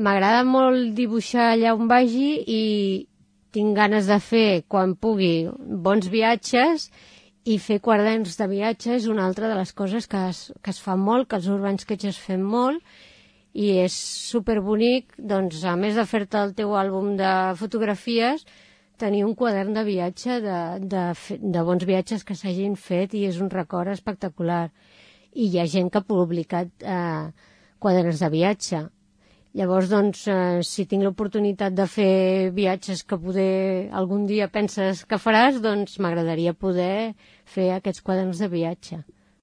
m'agrada molt dibuixar allà on vagi i tinc ganes de fer, quan pugui, bons viatges, i fer quaderns de viatge és una altra de les coses que es fa molt, que els Urban Sketches fem molt, i és superbonic, doncs, a més de fer-te el teu àlbum de fotografies, tenir un quadern de viatge de bons viatges que s'hagin fet, i és un record espectacular. I hi ha gent que ha publicat quaderns de viatge. Llavors, doncs, si tinc l'oportunitat de fer viatges que poder algun dia penses que faràs, doncs m'agradaria poder fer aquests quaderns de viatge.